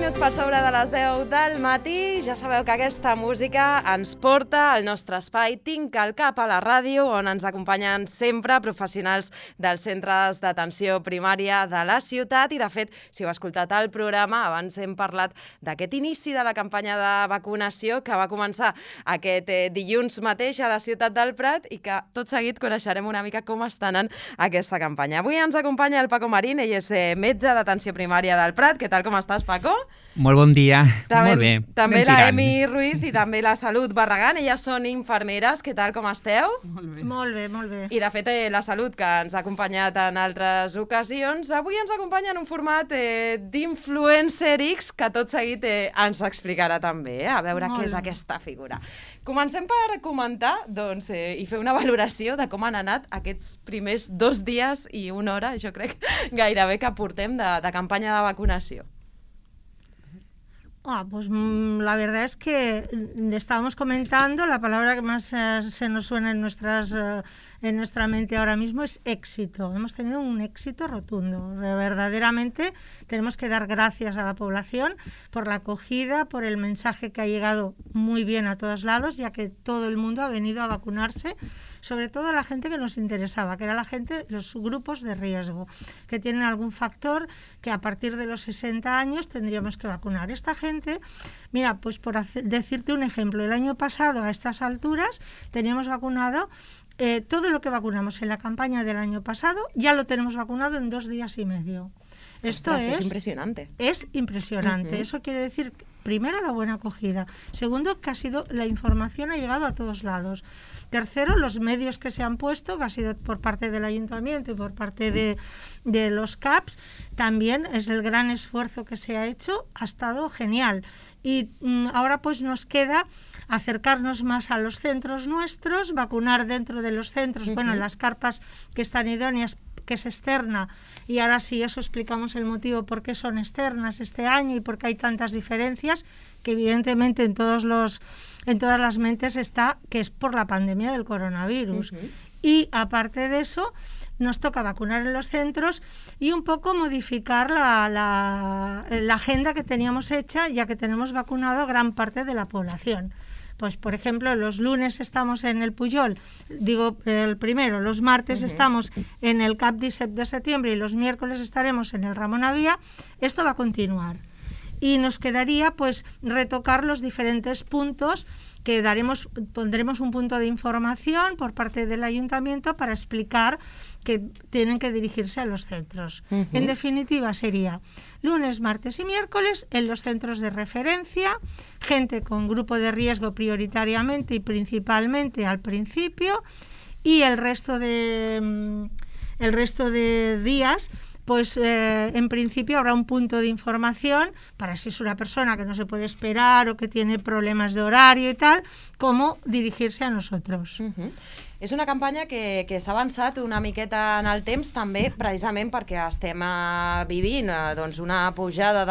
minuts per sobre de les 10 del matí. Ja sabeu que aquesta música ens porta al nostre espai Tinc al cap a la ràdio, on ens acompanyen sempre professionals dels centres d'atenció primària de la ciutat. I, de fet, si heu escoltat el programa, abans hem parlat d'aquest inici de la campanya de vacunació que va començar aquest dilluns mateix a la ciutat del Prat i que tot seguit coneixerem una mica com està anant aquesta campanya. Avui ens acompanya el Paco Marín, ell és metge d'atenció primària del Prat. Què tal, com estàs, Paco? Molt bon dia, també, molt bé. També la Emi Ruiz i també la Salut Barragán, elles són infermeres. Què tal, com esteu? Molt bé. Molt bé, molt bé. I de fet la Salut, que ens ha acompanyat en altres ocasions, avui ens acompanya en un format d'Influencer X que tot seguit ens explicarà també, a veure què és aquesta figura. Comencem per comentar i fer una valoració de com han anat aquests primers 2 dies i 1 hora, jo crec, gairebé que portem de campanya de vacunació. Pues la verdad es que estábamos comentando, la palabra que más se nos suena en nuestra mente ahora mismo es éxito. Hemos tenido un éxito rotundo. Verdaderamente tenemos que dar gracias a la población por la acogida, por el mensaje que ha llegado muy bien a todos lados, ya que todo el mundo ha venido a vacunarse, sobre todo la gente que nos interesaba, que era la gente, los grupos de riesgo, que tienen algún factor que a partir de los 60 años tendríamos que vacunar. Esta gente, mira, pues por decirte un ejemplo, el año pasado a estas alturas teníamos vacunado todo lo que vacunamos en la campaña del año pasado, ya lo tenemos vacunado en 2 días y medio. Esto es impresionante. Es impresionante. Eso quiere decir, primero, la buena acogida. Segundo, que la información ha llegado a todos lados. Tercero, los medios que se han puesto, que ha sido por parte del ayuntamiento y por parte de los CAPs, también es el gran esfuerzo que se ha hecho, ha estado genial. Y ahora pues nos queda acercarnos más a los centros nuestros, vacunar dentro de los centros, bueno, las carpas que están idóneas, que es externa, y ahora sí, eso explicamos el motivo por qué son externas este año y por qué hay tantas diferencias, que evidentemente en todas las mentes está que es por la pandemia del coronavirus. Y aparte de eso, nos toca vacunar en los centros y un poco modificar la agenda que teníamos hecha, ya que tenemos vacunado gran parte de la población. Pues, por ejemplo, los lunes estamos en el Pujol, digo el primero, los martes estamos en el CAP 17 de septiembre y los miércoles estaremos en el Ramón Avía. Esto va a continuar. Y nos quedaría pues retocar los diferentes puntos que pondremos un punto de información por parte del ayuntamiento para explicar que tienen que dirigirse a los centros. En definitiva sería lunes, martes y miércoles en los centros de referencia, gente con grupo de riesgo prioritariamente y principalmente al principio, y el resto de días pues en principio habrá un punto de información para si es una persona que no se puede esperar o que tiene problemas de horario y tal, cómo dirigirse a nosotros. És una campanya que s'ha avançat una miqueta en el temps, també precisament perquè estem vivint una pujada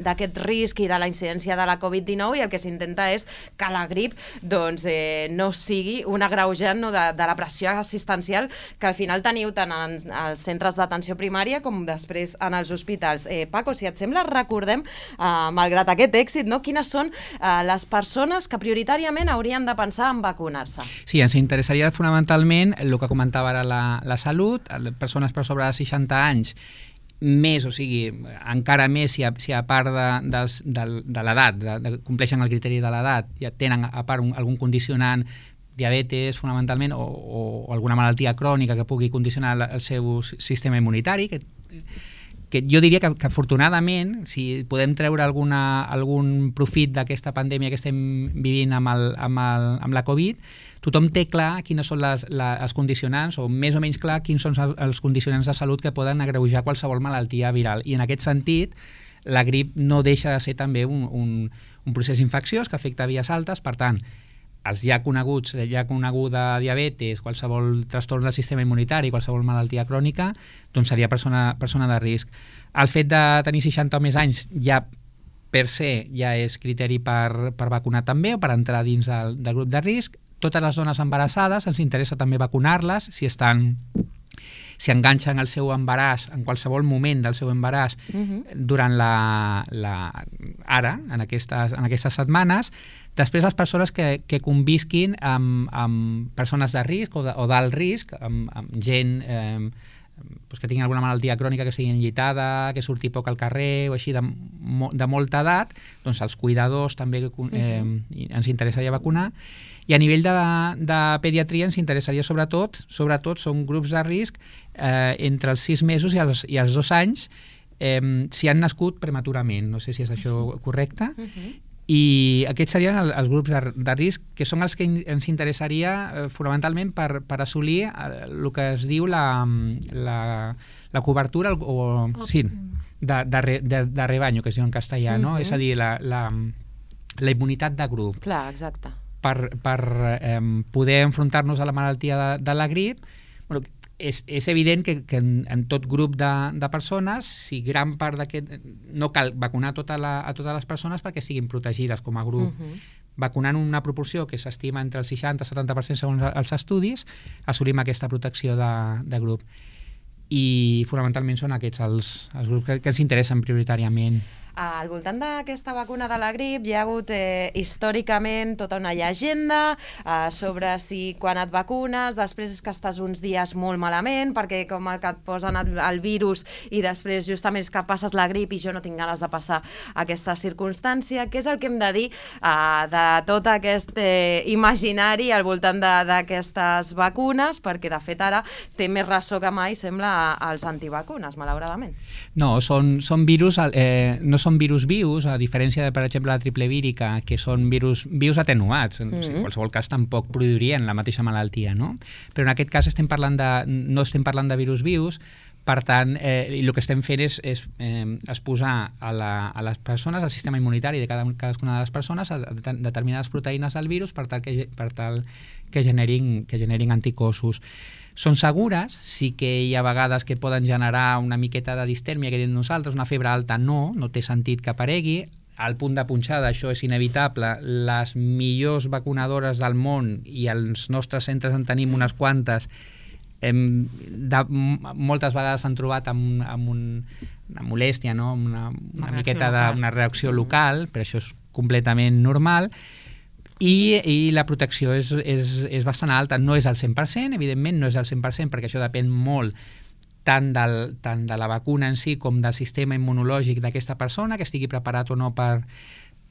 d'aquest risc i de la incidència de la Covid-19, i el que s'intenta és que la grip no sigui un agreujant de la pressió assistencial que al final teniu tant als centres d'atenció primària com després en els hospitals. Paco, si et sembla, recordem, malgrat aquest èxit, quines són les persones que prioritàriament haurien de pensar en vacunar-se. Sí, ens interessaria fonamentalment el que comentava ara la Salut, persones per sobre de 60 anys, més, o sigui, encara més si a part de l'edat, compleixen el criteri de l'edat, ja tenen a part algun condicionant, diabetes fonamentalment, o alguna malaltia crònica que pugui condicionar el seu sistema immunitari, que jo diria que afortunadament, si podem treure algun profit d'aquesta pandèmia que estem vivint amb la Covid, tothom té clar quines són les condicionants, o més o menys clar quins són els condicionants de salut que poden agreujar qualsevol malaltia viral. I en aquest sentit, la grip no deixa de ser també un procés infecciós que afecta vies altes. Per tant, els ja coneguda diabetes, qualsevol trastorn del sistema immunitari, qualsevol malaltia crònica, doncs seria persona de risc. El fet de tenir 60 o més anys ja per se ja és criteri per vacunar també, o per entrar dins del grup de risc. Totes les dones embarassades ens interessa també vacunar-les si estan si enganxen el seu embaràs en qualsevol moment del seu embaràs durant ara, en aquestes setmanes. Després, les persones que convisquin amb persones de risc o d'alt risc, amb gent que tingui alguna malaltia crònica, que sigui enllitada, que surti poc al carrer o així de molta edat, doncs els cuidadors també ens interessaria vacunar. I a nivell de pediatria ens interessaria sobretot són grups de risc entre els 6 mesos i els 2 anys si han nascut prematurament. No sé si és això correcte. I aquests serien els grups de risc, que són els que ens interessaria fonamentalment per assolir el que es diu la cobertura de rebanyo, que es diu en castellà, no? És a dir, la immunitat de grup. Clar, exacte. Per poder enfrontar-nos a la malaltia de la grip. És evident que en tot grup de persones, si gran part d'aquest... No cal vacunar a totes les persones perquè siguin protegides com a grup. Vacunant una proporció que s'estima entre el 60 i el 70% segons els estudis, assolim aquesta protecció de grup. I fonamentalment són aquests els grups que ens interessen prioritàriament. Al voltant d'aquesta vacuna de la grip hi ha hagut històricament tota una llegenda sobre si quan et vacunes després és que estàs uns dies molt malament perquè com que et posen el virus i després justament és que passes la grip i jo no tinc ganes de passar aquesta circumstància. Què és el que hem de dir de tot aquest imaginari al voltant d'aquestes vacunes? Perquè de fet ara té més ressò que mai, sembla, als antivacunes, malauradament. No, són virus... no són virus vius, a diferència de, per exemple, la triple vírica, que són virus atenuats. En qualsevol cas tampoc produirien la mateixa malaltia, no? Però en aquest cas no estem parlant de virus vius, per tant, el que estem fent és exposar a les persones, al sistema immunitari de cadascuna de les persones, a determinades proteïnes del virus per tal que generin anticossos. Són segures, sí que hi ha vegades que poden generar una miqueta de distèrmia, que diem nosaltres, una febre alta no té sentit que aparegui. Al punt de punxada, això és inevitable. Les millors vacunadores del món, i als nostres centres en tenim unes quantes, moltes vegades s'han trobat amb una molèstia, no? una miqueta d'una reacció local, però això és completament normal. I la protecció és bastant alta, no és al 100%, evidentment no és al 100%, perquè això depèn molt tant de la vacuna en si com del sistema immunològic d'aquesta persona, que estigui preparat o no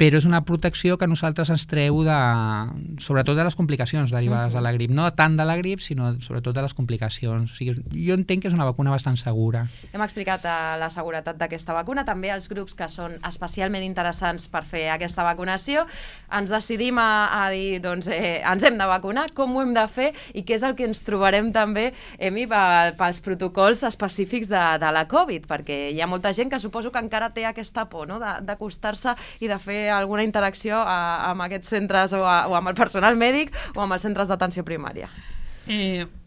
però és una protecció que a nosaltres ens treu sobretot de les complicacions derivades de la grip. No tant de la grip, sinó sobretot de les complicacions. O sigui, jo entenc que és una vacuna bastant segura. Hem explicat la seguretat d'aquesta vacuna, també els grups que són especialment interessants per fer aquesta vacunació. Ens decidim a dir, doncs, ens hem de vacunar, com ho hem de fer i què és el que ens trobarem també, Emi, pels protocols específics de la Covid, perquè hi ha molta gent que suposo que encara té aquesta por, no?, d'acostar-se i de fer alguna interacció amb aquests centres o amb el personal mèdic o amb els centres d'atenció primària.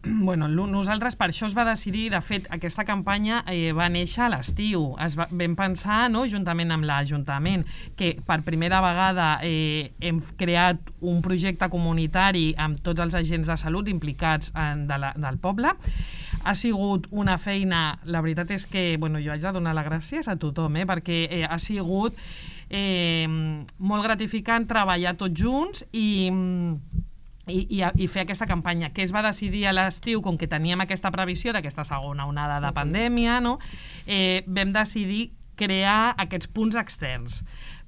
Nosaltres per això es va decidir, de fet aquesta campanya va néixer a l'estiu, vam pensar, no, juntament amb l'Ajuntament, que per primera vegada hem creat un projecte comunitari amb tots els agents de salut implicats del poble. Ha sigut una feina, la veritat és que jo haig de donar les gràcies a tothom, perquè ha sigut molt gratificant treballar tots junts i fer aquesta campanya, que es va decidir a l'estiu, com que teníem aquesta previsió d'aquesta segona onada de pandèmia, no? Vam decidir crear aquests punts externs.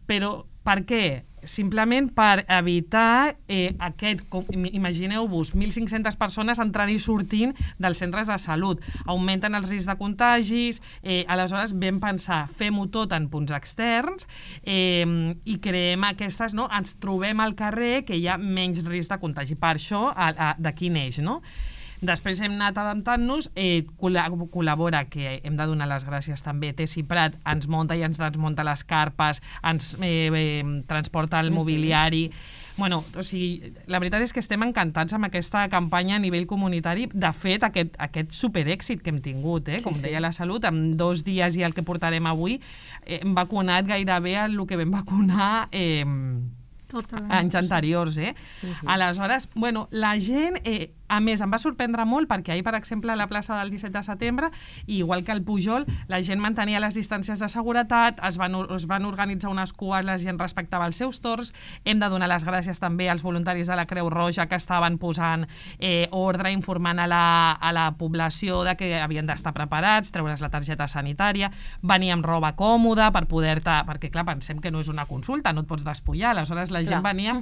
Però per què? Simplement per evitar imagineu-vos, 1.500 persones entrant i sortint dels centres de salut. Augmenten els riscs de contagis, aleshores vam pensar, fem-ho tot en punts externs i creem aquestes, no? Ens trobem al carrer que hi ha menys risc de contagi. Per això, d'aquí neix, no? Després hem anat adaptant-nos, col·labora, que hem de donar les gràcies també, Tessi Prat ens munta i ens desmunta les carpes, ens transporta el mobiliari. O sigui, la veritat és que estem encantats amb aquesta campanya a nivell comunitari. De fet, aquest superèxit que hem tingut, com deia la Salut, en 2 dies i el que portarem avui, hem vacunat gairebé el que vam vacunar anys anteriors. Aleshores, la gent A més, em va sorprendre molt perquè ahir, per exemple, a la plaça del 17 de setembre, igual que al Pujol, la gent mantenia les distàncies de seguretat, es van organitzar unes cues, la gent respectava els seus torns. Hem de donar les gràcies també als voluntaris de la Creu Roja que estaven posant ordre, informant a la població de que havien d'estar preparats, treure's la targeta sanitària, venir amb roba còmoda per poder-te... Perquè, clar, pensem que no és una consulta, no et pots despullar, aleshores la gent venia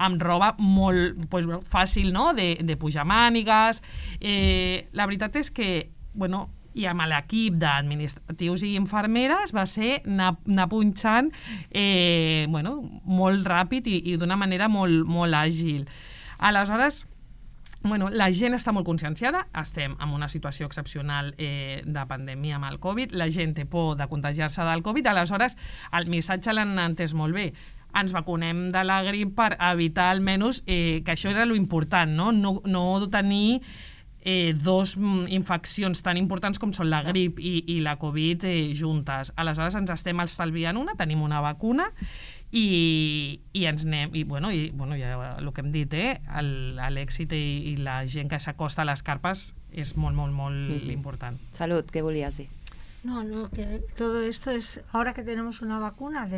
amb roba molt fàcil, no?, de pujar mànigues. La veritat és que, bueno, i amb l'equip d'administratius i infermeres va ser anar punxant molt ràpid i d'una manera molt àgil. Aleshores, la gent està molt conscienciada, estem en una situació excepcional de pandèmia amb el Covid, la gent té por de contagiar-se del Covid, aleshores el missatge l'han entès molt bé. Ens vacunem de la grip per evitar almenys que això era lo important, no tenir dos infeccions tan importants com són la grip i la Covid juntes. Aleshores ens estem estalviant una, tenim una vacuna i ens anem, i ja el que hem dit, l'èxit i la gent que s'acosta a les carpes és molt important. Salut, què volies dir? No, que todo esto es, ahora que tenemos una vacuna,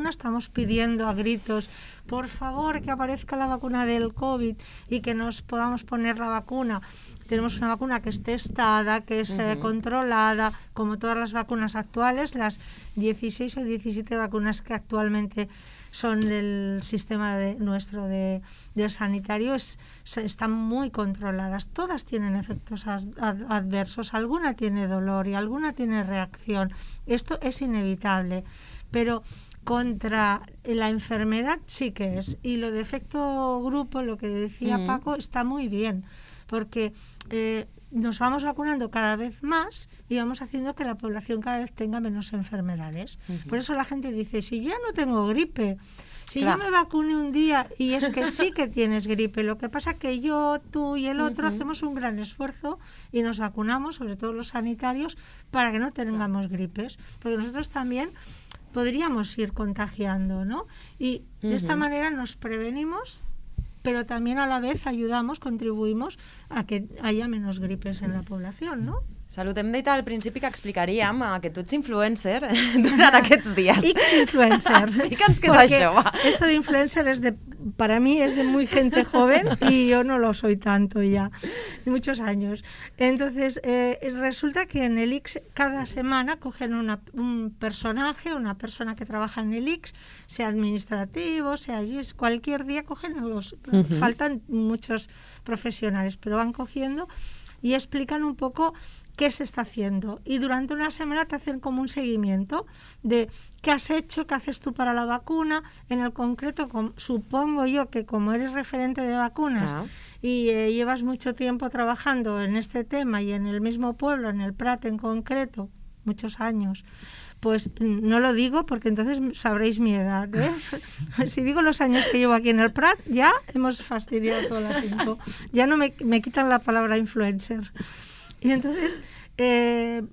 estamos pidiendo a gritos, por favor, que aparezca la vacuna del COVID y que nos podamos poner la vacuna. Tenemos una vacuna que es testada, que es controlada, como todas las vacunas actuales, las 16 o 17 vacunas que actualmente son del sistema nuestro de sanitario, están muy controladas. Todas tienen efectos adversos, alguna tiene dolor y alguna tiene reacción. Esto es inevitable, pero contra la enfermedad sí que es. Y lo de efecto grupo, lo que decía Paco, está muy bien, porque nos vamos vacunando cada vez más y vamos haciendo que la población cada vez tenga menos enfermedades. Por eso la gente dice, si ya no tengo gripe, si yo me vacuné un día, y es que sí que tienes gripe, lo que pasa que yo, tú y el otro hacemos un gran esfuerzo y nos vacunamos, sobre todo los sanitarios, para que no tengamos gripes, porque nosotros también podríamos ir contagiando, ¿no? Y de esta manera nos prevenimos, pero también a la vez contribuïmos a que haya menos gripes en la población, ¿no? Salut, hem dit al principi que explicaríem que tu ets influencer durant aquests dies. X-influencer. Explica'ns què és això, va. Esto de influencer para mí es de muy gente joven y yo no lo soy tanto ya, de muchos años. Entonces, resulta que en el X cada semana cogen un personaje, una persona que trabaja en el X, sea administrativo, sea allí, cualquier día cogen faltan muchos profesionales, pero van cogiendo y explican un poco qué se está haciendo. Y durante una semana te hacen como un seguimiento de qué has hecho, qué haces tú para la vacuna. En el concreto, supongo yo que como eres referente de vacunas y llevas mucho tiempo trabajando en este tema y en el mismo pueblo, en el Prat en concreto, muchos años, pues no lo digo porque entonces sabréis mi edad, ¿eh? Si digo los años que llevo aquí en el Prat, ya hemos fastidiado todas las info. Ya no me quitan la palabra influencer. Y entonces,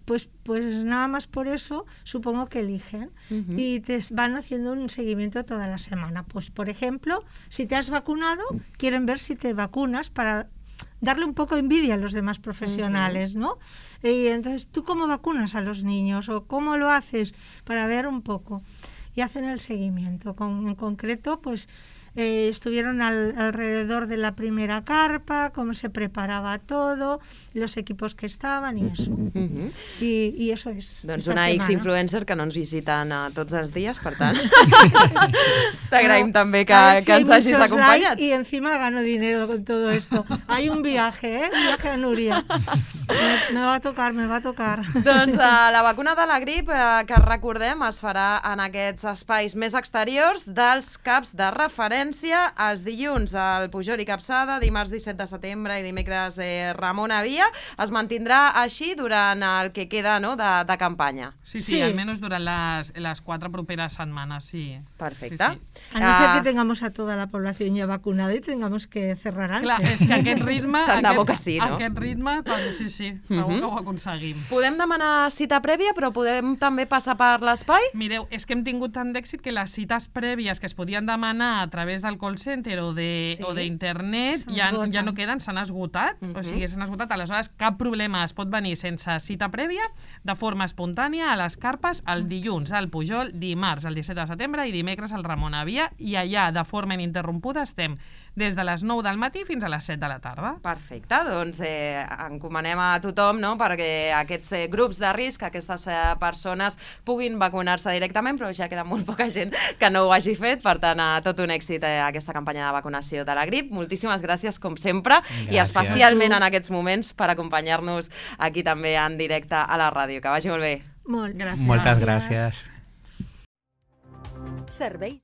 pues nada más por eso, supongo que eligen y te van haciendo un seguimiento toda la semana. Pues, por ejemplo, si te has vacunado, quieren ver si te vacunas para darle un poco de envidia a los demás profesionales, ¿no? Y entonces, ¿tú cómo vacunas a los niños? ¿O cómo lo haces? Para ver un poco. Y hacen el seguimiento. En concreto, pues estuvieron alrededor de la primera carpa, cómo se preparaba todo, los equipos que estaven i això. I això és. Doncs una X-influencer que no ens visiten tots els dies, per tant. T'agraïm també que ens hagis acompanyat. Y encima gano dinero con todo esto. Hay un viaje, un viaje a Núria. Me va a tocar. Doncs la vacuna de la grip, que recordem, es farà en aquests espais més exteriors dels CAPs de referència els dilluns al Pujol i Capçada, dimarts 17 de setembre i dimecres Ramon Avia. Es mantindrà així durant el que queda, no, de campanya. Sí, almenys durant les 4 properes setmanes, sí. Perfecte. Sí. A no ser que tengamos a toda la población ya vacunada y tengamos que cerrar antes. Clar, és que aquest ritme... Tant de bo que sí, no? Aquest ritme, sí, segur que ho aconseguim. Podem demanar cita prèvia, però podem també passar per l'espai? Mireu, és que hem tingut tant d'èxit que les cites prèvies que es podien demanar a través través del call center o d'internet ja no queden, s'han esgotat, o sigui, s'han esgotat. Aleshores, cap problema, es pot venir sense cita prèvia, de forma espontània, a les carpes, el dilluns al Pujol, dimarts, el 17 de setembre, i dimecres al Ramon Avia, i allà, de forma ininterrompuda, estem des de les 9 del matí fins a les 7 de la tarda. Perfecte, doncs encomanem a tothom, no?, perquè aquests grups de risc, aquestes persones puguin vacunar-se directament, però ja queda molt poca gent que no ho hagi fet, per tant, tot un èxit aquesta campanya de vacunació de la grip. Moltíssimes gràcies, com sempre, i especialment en aquests moments per acompanyar-nos aquí també en directe a la ràdio. Que vagi molt bé. Molt gràcies. Moltes gràcies. Servei